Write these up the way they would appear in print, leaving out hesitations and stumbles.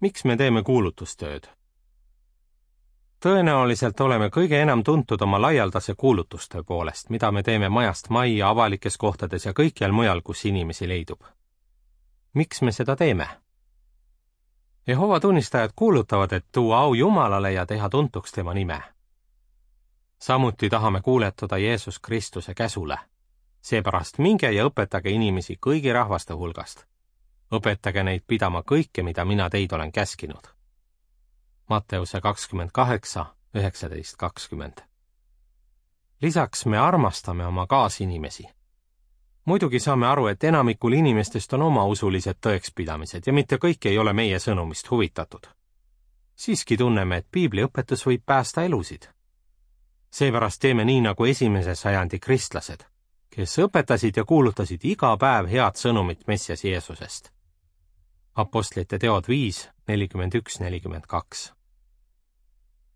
Miks me teeme kuulutustööd? Tõenäoliselt oleme kõige enam tuntud oma laialdase kuulutustöö poolest, mida me teeme majast majja, avalikes kohtades ja kõikjal mujal, kus inimesi leidub. Miks me seda teeme? Jehova tunnistajad kuulutavad, et tuua au Jumalale ja teha tuntuks tema nime. Samuti tahame kuuletuda Jeesus Kristuse käsule. Seepärast minge ja õpetage inimesi kõigi rahvaste hulgast. Õpetage neid pidama kõike, mida mina teid olen käskinud. Matteuse 28, 19-20. Lisaks me armastame oma kaasinimesi. Muidugi saame aru, et enamikul inimestest on oma usulised tõekspidamised ja mitte kõik ei ole meie sõnumist huvitatud. Siiski tunneme, et Piibli õpetus võib päästa elusid. Seepärast teeme nii nagu esimese sajandi kristlased, kes õpetasid ja kuulutasid iga päev head sõnumit Messias Jeesusest. Apostlite teod 5, 41-42.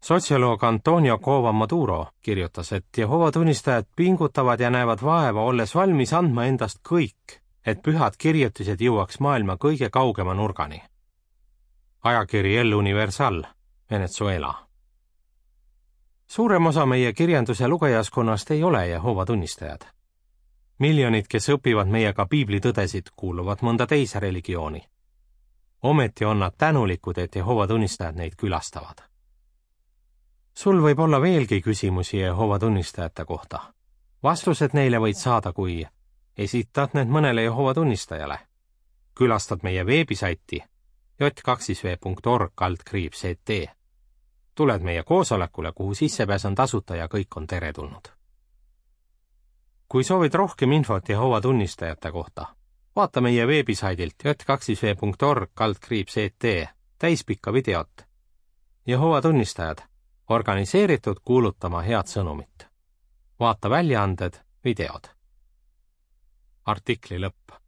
Sotsioloog Antonio Cova Maduro kirjutas, et Jehova tunnistajad pingutavad ja näevad vaeva, olles valmis andma endast kõik, et pühad kirjutised jõuaks maailma kõige kaugema nurgani. Ajakiri El Universal, Venezuela. Suurem osa meie kirjanduse lugejaskonnast ei ole Jehova tunnistajad. Miljonid, kes õpivad meiega Piibli tõdesid, kuuluvad mõnda teise religiooni. Ometi on nad tänulikud, et Jehova tunnistajad neid külastavad. Sul võib olla veelgi küsimusi Jehova tunnistajate kohta. Vastused neile võid saada, kui esitad need mõnele Jehova tunnistajale. Külastad meie veebisaiti j2v.org/et. Tuled meie koosolekule, kuhu sissepääs on tasuta ja kõik on teretulnud. Kui soovid rohkem infot Jehova tunnistajate kohta, vaata meie veebisaidilt j2v.org/et täispikka videot. Jehova tunnistajad, organiseeritud kuulutama head sõnumit. Vaata väljaanded, videod. Artikli lõpp.